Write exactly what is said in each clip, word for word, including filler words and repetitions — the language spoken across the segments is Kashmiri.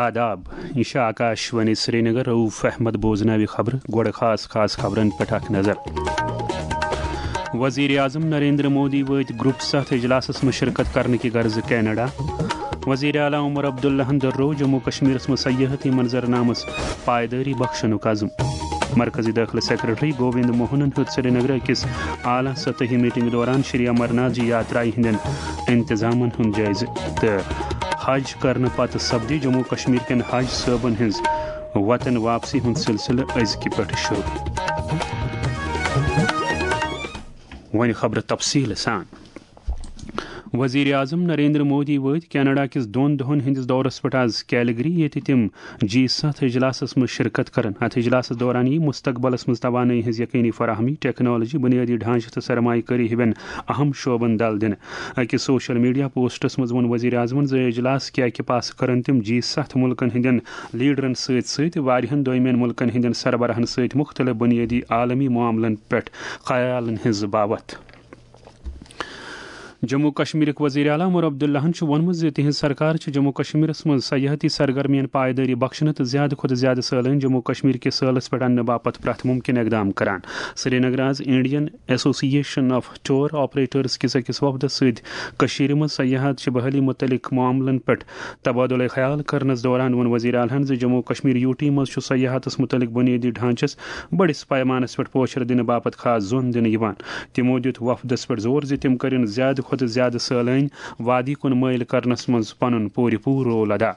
آداب، یہِ چھِ آکاش وانی سرینگر۔ رؤف احمد بوزناوِ خبرٕ۔ گۄڈٕ خاص خاص خبرن پٮ۪ٹھ اکھ نظر۔ وزیر اعظم نریندر مودی وٲتۍ گروپ ستھ اجلاسس منٛز شرکت کرنہٕ کہِ غرضہٕ کینیڈا۔ وزیر اعلیٰ عمر عبداللہن دۄہروو جموں کشمیرس منٛز سیاحتی منظرنامس پائیدٲری بخشنُک عزم۔ مرکزی دٲخلہٕ سیکرٹری گووند موہنن ہیوٚت سرینگرٕ أکِس اعلیٰ سطحی میٹنگ دوران شری امرناتھ جی یاترایہِ ہٕنٛدٮ۪ن انتظامن ہُنٛد جٲیزٕ تہٕ حج کرنہٕ پتہٕ سپدِ جموں کشمیر کٮ۪ن حج صٲبن ہٕنٛز وطن واپسی ہُنٛد سلسلہٕ أزکہِ پٮ۪ٹھٕ شروع۔ وۄنۍ خبرٕ تفصیٖل سان۔ وزیر اعظم نریندر مودی وٲتۍ کینیڈا کِس دۄن دۄہن ہٕنٛدِس دورس پٮ۪ٹھ آز کیلگری، ییٚتہِ تِم جی ستھ اجلاسس منٛز شرکت کرن۔ اتھ اجلاسس دوران یِیہِ مستقبلس منٛز توانٲیی ہٕنٛز یقینی فراہمی، ٹیکنالوجی، بنیٲدی ڈھانچہٕ تہٕ سرمایہ کٲری ہِوٮ۪ن اہم شعبن دل دِنہٕ۔ أکِس سوشل میڈیا پوسٹس منٛز ووٚن وزیر اعظمن زِ اجلاس کہِ اکہِ پاسہٕ کرن تِم جی ستھ مُلکن ہٕنٛدٮ۪ن لیڈرن سۭتۍ سۭتۍ واریاہن دویمٮ۪ن مُلکن ہٕنٛدٮ۪ن سربراہن سۭتۍ مُختٔلِف بُنیٲدی عالمی معاملن پٮ۪ٹھ خیالن ہٕنٛز باوتھ۔ جموں کشمیرٕکۍ وزیر اعلیٰ عمر عبداللہن چھُ ووٚنمُت زِ تِہنٛز سرکار چھِ جموں کشمیرس منٛز سیاحتی سرگرمین پائیدٲری بخشنہٕ تہٕ زیادٕ کھۄتہٕ زیادٕ سٲلٲنۍ جموں کشمیر کِس سٲلس پٮ۪ٹھ اننہٕ باپتھ پرٛٮ۪تھ مُمکِن اقدام کران۔ سرینگر آز انڈین ایسوسی ایشن آف ٹور آپریٹرز کِس أکِس وفدس سۭتۍ کٔشیٖرِ منٛز سیاحت چہِ بحالی مُتعلق معاملن پٮ۪ٹھ تبادلہ خیال کرنس دوران ووٚن وزیر اعلیٰ ہن زِ جموں کشمیر یوٗ ٹی منٛز چھُ سیاحتس مُتعلق بُنیٲدی ڈھانچس بٔڑِس پیمانس پٮ۪ٹھ پوچھر دِنہٕ باپتھ خاص زون دِنہٕ یِوان۔ تِمو دِیُت وفدس پٮ۪ٹھ زور زِ تِم کٔرِن زیادٕ کھۄتہٕ زیادٕ سٲلٲنۍ وادی کُن مٲیِل کرنس منٛز پنُن پوٗرٕ پوٗرٕ رول ادا۔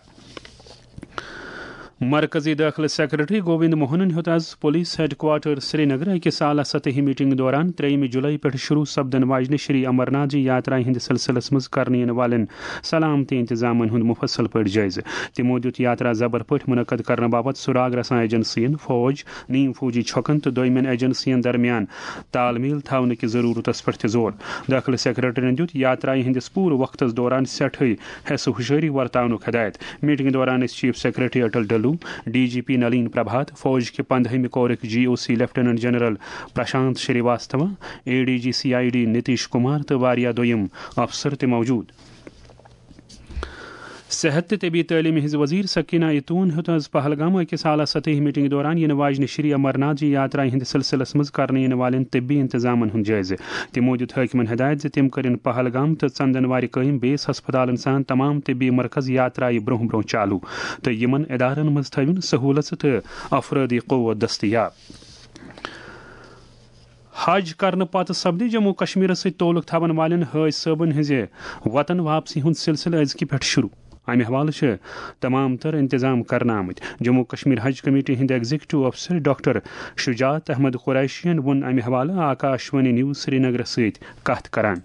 مرکزی دٲخلہٕ سیکرٹری گووند موہنن ہیوٚت آز پولیس ہیڈ کوارٹر سرینگر أکِس اعلیٰ سطحی میٹنگ دوران ترٛیٚیِمہِ جولائی پٮ۪ٹھ شروع سپدن واجنہِ شری امرناتھ جی یاترایہِ ہٕنٛدِ سلسلس منٛز کرنہٕ یِنہٕ والٮ۪ن سلامتی انتظامن ہُنٛد مُفصل پٲٹھۍ جٲیزٕ۔ تِمو دِیُت یاترا زبر پٲٹھۍ منعقد کرنہٕ باپتھ سراغ رساں ایجنسین، فوج، نیم فوجی چھۄکن تہٕ دویمٮ۪ن ایجنسین درمیان تال میل تھاونہٕ کِس ضروٗرتس پٮ۪ٹھ تہِ زور۔ دٲخلہٕ سیکرٹریَن دِیُت یاترایہِ ہٕنٛدِس پوٗرٕ وقتس دوران سٮ۪ٹھٕے حیث و ہُشٲری ورتاونُک ہدایت۔ میٹنگ دوران ٲسۍ chief secretary Atal Dulloo, D G P Nalin Prabhat, فوج کہِ پندہمہِ کورٕکۍ G O C lieutenant general Prashant Srivastava, A D G C I D Nitish Kumar تہٕ واریاہ دوٚیِم افسر تہِ موجود۔ صحت تہٕ طبی تعلیمہِ ہٕنٛز وزیر سکینہ ایتون ہیوٚت آز پہلگام أکِس اعلیٰ سطحی میٹنگ دوران یِنہٕ واجنہِ شری امرناتھ جی یاترایہِ ہٕنٛدِ سلسلس منٛز کرنہٕ یِنہٕ والٮ۪ن طبی انتظامن ہُنٛد جٲیزٕ۔ تِمو دِیُت حٲکمن ہدایت زِ تِم کٔرِن پہلگام تہٕ ژندن وارِ قٲیِم بیس ہسپتالن سان تمام طبی مرکز یاترایہِ برونٛہہ برونٛہہ چالو تہٕ یِمن ادارن منٛز تھٲوِن سہوٗلژٕ تہٕ افرٲدی قوت دٔستیاب۔ حج کرنہٕ پتہٕ سپدِ جموں کشمیرس سۭتۍ تعلق تھاون والٮ۪ن حٲج صٲبن ہٕنٛزِ وطن واپسی ہُنٛد سلسلہٕ أزکہِ پٮ۪ٹھ شروع۔ امہِ حوالہٕ چھِ تمام تر انتظام کرنہٕ آمٕتۍ۔ جموں کشمیر حج کمیٹی ہٕنٛدۍ ایگزیکٹو افسر ڈاکٹر شجاعت احمد قریشین ووٚن امہِ حوالہٕ آکاش وانی نیوز سرینگرس سۭتۍ کتھ کران۔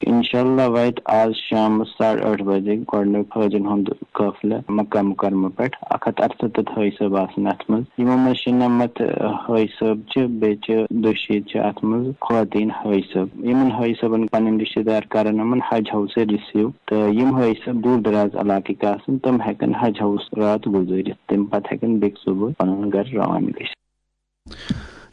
انشاءاللہ واتہِ آز شامس ساڑٕ ٲٹھ بجے گۄڈٕنیُک حٲجن ہُنٛد قٲفلہٕ مکہ مکرمہ پٮ۪ٹھ۔ اکھ ہتھ ارستتھ حٲج صٲب آسن اتھ منٛز۔ یِمو منٛز شُنمتھ حٲج صٲب چھِ، بیٚیہِ چھِ دُشیٖت چھِ اتھ منٛز خواتین حٲج صٲب۔ یِمن حٲج صٲبن پنٕنۍ رشتہٕ دار کرن یِمن حج ہاوسے رسیو، تہٕ یِم حٲج صٲب دوٗر دراز علاقٕکۍ آسن، تِم ہٮ۪کن حج ہاوس راتھ گُزٲرِتھ، تمہِ پتہٕ ہٮ۪کن بیٚکہِ صبحہٕ پنُن گرٕ روانہٕ گٔژھِتھ۔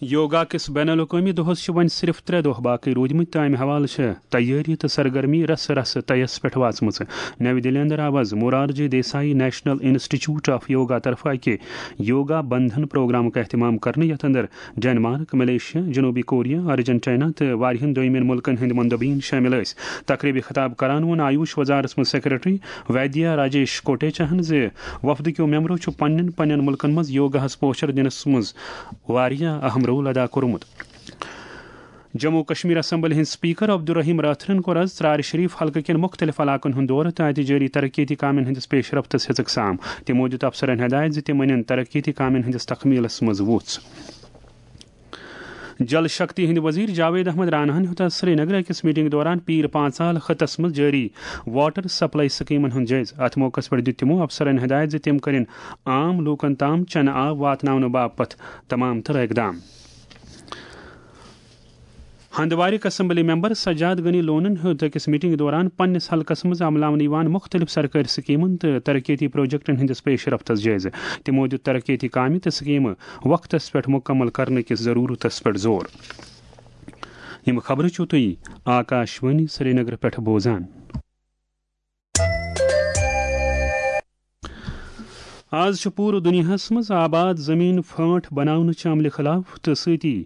یوگا کِس بین الاقوٲمی دۄہَس چھِ وۄنۍ صرف ترٛےٚ دۄہ باقٕے روٗدمٕتۍ تہٕ اَمہِ حوالہٕ چھِ تیٲری تہٕ سرگرمی رسہٕ رسہٕ طیَس پٮ۪ٹھ واژمٕژ۔ نَوِ دِلہِ اندر آو آز Morarji Desai national institute of yoga طرفہٕ اَکہِ یوگا بندھن پروگرامُک اہتمام کرنہٕ، یَتھ اندر ڈنمارک، ملیشیا، جنوبی کوریا، ارجنٹینا تہٕ واریاہَن دوٚیمٮ۪ن مُلکَن ہٕنٛدۍ مندوبین شٲمِل ٲسۍ۔ تقریبہِ خطاب کران ووٚن آیوش وزارتس منٛز سیکرٹری ویدیا راجیش کوٹیچاہن زِ وفدٕکیو ممبرو چھُ پننٮ۪ن پننٮ۪ن مُلکن منٛز یوگاہس پوچھر دِنس منٛز واریاہ اہم رول ادا کوٚرمُت۔ جموں کشمیر اسمبلی ہٕنٛدۍ سپیکر عبدالرحیم راتھرن کوٚر آز ژرارِ شریف حلقہٕ کٮ۪ن مُختٔلِف علاقن ہُنٛد دورٕ تہٕ اَتہِ جٲری ترقیتی کامٮ۪ن ہٕنٛدِس پیش رفتس ہیٚژٕکھ سام۔ تِمو دِیُت افسرن ہدایت زِ تِم أنِن ترقیتی کامٮ۪ن ہٕنٛدِس تکمیلس منٛز وُژھ۔ جل شکتی ہٕنٛدۍ وزیر جاوید احمد راناہن ہیوٚت آز سرینگرٕ أکِس میٹنگ دوران پیٖر پانژال خطس منٛز جٲری واٹر سپلائی سکیمن ہُنٛد جٲیزٕ۔ اتھ موقعس پٮ۪ٹھ دِیُت تِمو افسرن ہدایت زِ تِم کٔرِن عام لوٗکن تام چنہٕ آب واتناونہٕ باپتھ تمام تر اقدام۔ ہندوارٕکۍ اسمبلی ممبر سجاد غنی لونن ہیوٚت أکِس میٹنگ دوران پننِس حلقس منٛز عملاونہٕ یِوان مُختٔلِف سرکٲرۍ سکیمن تہٕ ترقیتی پروجیکٹن ہٕنٛدِس پیش رفتس جٲیزٕ۔ تِمو دِیُت ترقیتی کامہِ تہٕ سکیمہٕ وقتس پٮ۪ٹھ مُکمل کرنہٕ کِس ضروٗرتس پٮ۪ٹھ زور۔ یِم خبرٕ چھِو تُہۍ آکاش وانی سرینگر پٮ۪ٹھ بوزان۔ آز چھُ پوٗرٕ دُنیاہَس منٛز آباد زٔمیٖن پھٲنٛٹھ بناونہٕ چہِ عملہِ خلاف تہٕ سۭتی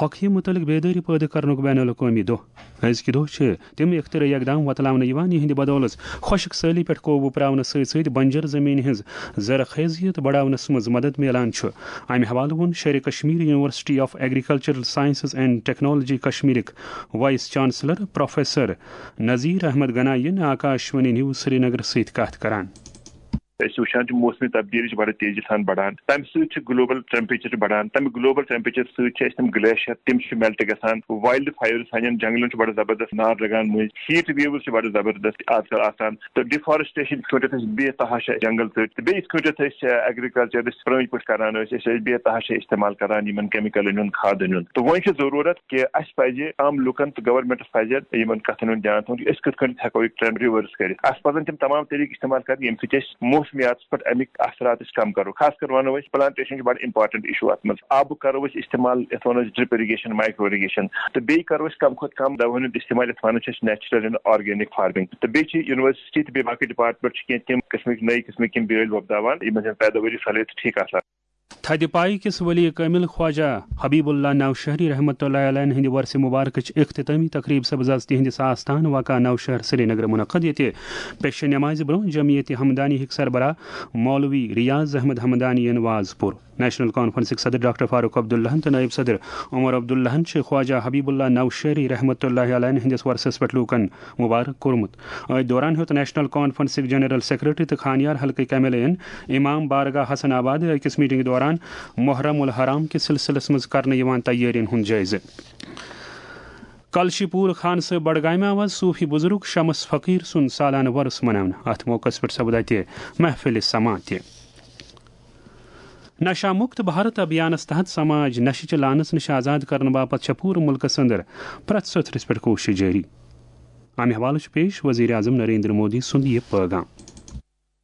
ہۄکھِ مُتعلِق بیدٲری پٲدٕ کرنُک بین الاقوٲمی دۄہ۔ أزکہِ دۄہ چھِ تِم اختراعی اقدام وۄتلاونہٕ یِوان، یِہنٛدِ بدولہٕ خۄشک سٲلی پٮ۪ٹھ قوبوٗ پراونہٕ سۭتۍ سۭتۍ بنجر زٔمیٖنہِ ہٕنٛز زرخیزیت بڑاونس منٛز مدد میلان چھُ۔ امہِ حوالہٕ ووٚن Sheri Kashmir university of agricultural sciences and technology کشمیرٕکۍ vice chancellor professor Nazir Ahmad Ganaie یَن آکاشوانی نیوز سرینگر سۭتۍ کتھ کران۔ أسۍ وٕچھان چھِ موسمی تبدیٖلی چھِ بڑٕ تیزی سان بڑان، تَمہِ سۭتۍ چھِ گلوبل ٹیمپریچر تہِ بڑان، تَمہِ گلوبل ٹیمپریچر سۭتۍ چھِ اَسہِ تِم گلیشیر تِم چھِ میلٹ گژھان، وائلڈ فایرز سانٮ۪ن جنگلن چھُ بڑٕ زبردست نار لگان مٔنٛزۍ، ہیٹ ویوز چھِ بڑٕ زبردست آز کل آسان، تہٕ ڈیفارسٹریشن یِتھ کٲٹھۍ أسۍ بے تحاشا جنگل ژٔٹۍ، تہٕ بیٚیہِ یِتھ کٲٹھۍ أسۍ ایگریکلچر أسۍ پرٲنۍ پٲٹھۍ کران ٲسۍ، أسۍ ٲسۍ بے تحاشا استعمال کران یِمن کیمیکلن ہُنٛد کھادن ہُنٛد، تہٕ وۄنۍ چھِ ضروٗرت کہِ اَسہِ پَزِ عام لُکَن تہٕ گورنمنٹَس پَزِ یِمَن کَتھَن ہُنٛد دیان تھاوُن کہِ أسۍ کِتھ کٔنۍ ہٮ۪کو یہِ ٹرٛینڈ رِوٲرٕس کٔرِتھ۔ اَسہِ پَزَن تِم تمام طٔریٖقہٕ استعمال کَرٕنۍ، ییٚمہِ سۭتۍ أسۍ موسمیاتَس پٮ۪ٹھ اَمِکۍ اثرات أسۍ کَم کَرو۔ خاص کر وَنو أسۍ، پلانٹیشن چھِ بَڑٕ اِمپاٹنٹ اِشوٗ اَتھ منٛز۔ آبُک کَرو أسۍ استعمال، یَتھ وَنو أسۍ ڈرپ اِرِگیشن، مایکرو اِرِگیشن، تہٕ بیٚیہِ کَرو أسۍ کَم کھۄتہٕ کَم دَوہَن ہُنٛد استعمال، یَتھ وَنان چھِ أسۍ نیچرل اینڈ آرگینک فارمنگ۔ تہٕ بیٚیہِ چھِ یونیورسٹی تہٕ بیٚیہِ باقٕے ڈپارٹمنٹ چھِ کینٛہہ تِم قٕسمٕکۍ نٔوۍ قٕسمٕکۍ یِم بیٲلۍ وۄپداوان، یِمن ہٕنٛز پیداوٲری صلٲحیت ٹھیٖک آسان۔ تھدِ پایہِ کِس ولی کٲمِل خواجہ حبیب اللہ نوشہری رحمتہ اللہ علیہ ہٕنٛدِ وۄرثہِ مبارکٕچ اختتٲمی تقریٖب سپٕز آز تِہنٛدِس آستان واقع نوشہر سرینگر منعقد، ییٚتہِ پیشہِ نمازِ برونٛہہ جمعیت ہمدانی ہٕکۍ سربراہ مولوی ریاض احمد ہمدانی یَن واز پوٚر۔ نیشنل کانفرنسٕکۍ صدر ڈاکٹر فاروق عبداللہن تہٕ نٲیِب صدر عمر عبداللہن چھِ خواجہ حبیب اللہ نوشہری رحمتہ اللہ علیہ ہٕنٛدِس وۄرثس پٮ۪ٹھ لوٗکن مبارک کوٚرمُت۔ أتھۍ دوران ہیوٚت نیشنل کانفرنسٕکۍ جنرل سیکرٹری تہٕ خانیار حلقٕکۍ ایم ایل اے یَن امام بارگاہ حسن آباد أکِس میٹنگ دوران محرم الحرام کِس سلسلس منٛز کرنہٕ یِوان تیٲرین ہُنٛد جٲیزٕ۔ کلشی پوٗر خانہٕ صٲب بڈگامہِ آو آز صوفی بزرگ شمس فقیر سُنٛد سالانہٕ وۄرُس مناونہٕ۔ اتھ موقعس پٮ۪ٹھ سپد اتہِ محفل سماع تہِ۔ نشہ مکت بھارت ابھیانس تحت سماج نشہٕ چہِ لعنژ نِش آزاد کرنہٕ باپتھ چھےٚ پوٗرٕ مُلکس اندر پرٛٮ۪تھ سطرس پٮ۪ٹھ کوٗشش جٲری۔ امہِ حوالہٕ چھُ پیش وزیر اعظم نریندر مودی سُنٛد یہِ پٲغام۔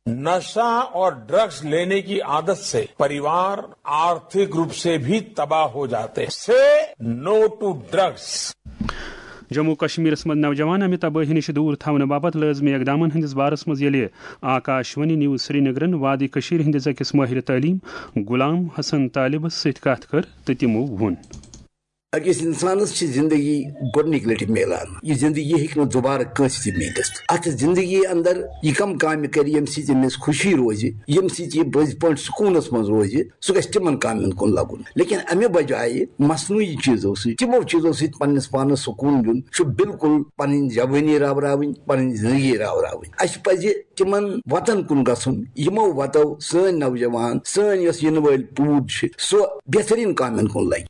नशा और ड्रग्स लेने की आदत से परिवार आर्थिक रूप से भी तबाह हो जाते हैं। Say no to drugs. Jammu کشمیرس منٛز نوجوان امہِ تبٲہی نِش دوٗر تھاونہٕ باپتھ لٲزمی اقدامن ہٕنٛدِس بارس منٛز ییٚلہِ آکاشوانی نیوز سرینگرن وادی کٔشیٖرِ ہٕنٛدِس أکِس مٲہِرِ تعلیٖم غلام حسن طالبس سۭتۍ کتھ کٔر تہٕ تِمو ووٚن۔ أکِس اِنسانَس چھِ زِندگی گۄڈٕنِکۍ لَٹہِ میلان۔ یہِ زِندگی ہیٚکہِ نہٕ دُبارٕ کٲنٛسہِ تہِ میٖلِتھ۔ اَتھ زِندگی اَندَر یہِ کَم کامہِ کَرِ، ییٚمہِ سۭتۍ أمِس خوشی روزِ، ییٚمہِ سۭتۍ یہِ پٔزۍ پٲٹھۍ سکوٗنَس منٛز روزِ، سُہ گژھِ تِمَن کامٮ۪ن کُن لَگُن۔ لیکِن اَمہِ بجایہِ مصنوعی چیٖزو سۭتۍ، تِمو چیٖزو سۭتۍ پنٛنِس پانَس سکوٗن دیُن، چھُ بِلکُل پَنٕنۍ جوٲنی راوراوٕنۍ، پَنٕنۍ زِندگی راوراوٕنۍ۔ اَسہِ پَزِ تِمَن وَتَن کُن گژھُن، یِمو وَتو سٲنۍ نوجوان، سٲنۍ یۄس یِنہٕ وٲلۍ پوٗد چھِ، سۄ بہتریٖن کامٮ۪ن کُن لَگہِ۔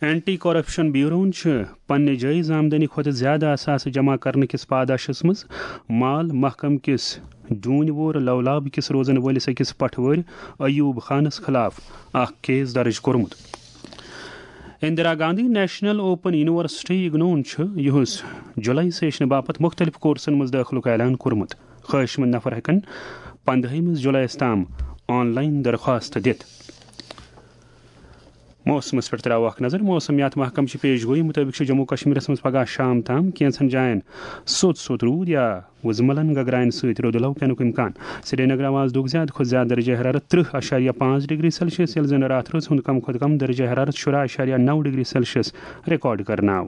اینٹی کرپشن بیوروہن چھِ پننہِ جٲیز آمدنی کھۄتہٕ زیادٕ اثاثہٕ جمع کرنہٕ کِس پاداشس منٛز مال محکمہٕ کِس ڈوٗنۍ وور لولاب کِس روزن وٲلِس أکِس پٹھوٲرۍ ایوب خانس خلاف اکھ کیس درج کوٚرمُت۔ Indira Gandhi national open university اگنوہن چھُ یِہُس جولائی سیشنہٕ باپتھ مُختٔلِف کورسن منٛز دٲخلُک اعلان کوٚرمُت۔ خٲہِش مند نفر ہٮ۪کن پندہٲیمِس جولائیس تام آن لائن درخواست دِتھ۔ موسمس پٮ۪ٹھ تراوو اکھ نظر۔ موسمیات محکمہٕ چہِ پیش گویی مُطٲبِق چھُ جموں کشمیرس منٛز پگہہ شام تام کینٛژن جاین سوٚت سوٚت روٗد یا وُزملن گگراین سۭتۍ رُدٕ لو پینُک امکان۔ سرینگر آو آز دۄہُک زیادٕ کھۄتہٕ زیادٕ درجہ حرارت ترٕہ اعشاریہ پانٛژھ ڈگری سیلسیس، ییٚلہِ زن راتھ رٲژ ہُنٛد کم کھۄتہٕ کم درجہ حرارت شُراہ اعشاریہ نو ڈگری سیلسیس ریکارڈ کرنہٕ آو۔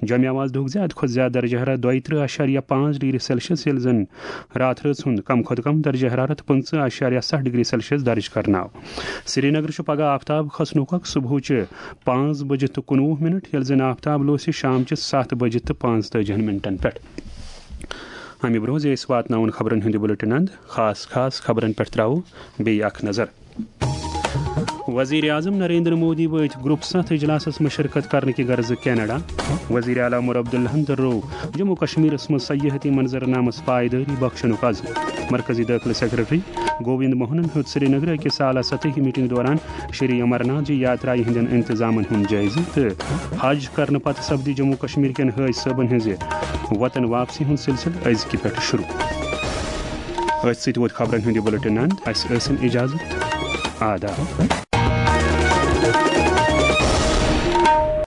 جوٚمہِ آو آز دۄہُک زیادٕ کھۄتہٕ زیادٕ درجہ حرارت دۄیہِ ترٕہ اعشاریہ پانٛژھ ڈگری سیلسیس، ییٚلہِ زن راتھ رٲژ ہُنٛد کم کھۄتہٕ کم درجہ حرارت پٕنٛژٕہ اعشاریہ ستھ ڈگری سیلسیس درج کرنہٕ آو۔ سرینگر چھُ پگہہ آفتاب کھسنُک وق صبحٕچہِ پانٛژھ بجہِ تہٕ کُنوُہ منٹ، ییٚلہِ زن آفتاب لوسہِ شامچہِ ستھ بجہِ تہٕ پانٛژتٲجِہن منٹن پٮ۪ٹھ۔ امہِ برونٛہہ زِ أسۍ واتناوون خبرن ہُنٛد یہِ بُلٹن اند، خاص خاص خبرن پٮ۪ٹھ تراوو بیٚیہِ اکھ نظر۔ وزیر اعظم نریندر مودی وٲتۍ گروپ ستھ اجلاسس منٛز شرکت کرنہٕ کہِ غرضہٕ کینیڈا۔ وزیر اعلیٰ عمر عبداللہن دٔرٲو جموں کشمیرس منٛز سیاحتی منظرنامس پائیدٲری بخشنُک عزم۔ مرکزی دٲخلہٕ سیکرٹری گووند موہنن ہیوٚت سرینگرٕ أکِس اعلیٰ سطحی میٹنگ دوران شری امرناتھ جی یاترایہِ ہٕنٛدٮ۪ن انتظامن ہُنٛد جٲیزٕ تہٕ حج کرنہٕ پتہٕ سپدِ جموں کشمیر کٮ۪ن حٲج صٲبن ہٕنٛزِ وطن واپسی ہُنٛد سلسلہٕ أزکہِ پٮ۪ٹھٕ شروع۔ أتھۍ سۭتۍ ووت خبرن ہُنٛد یہِ بُلٹن اند۔ اسہِ ٲسِن اجازت۔ آداب۔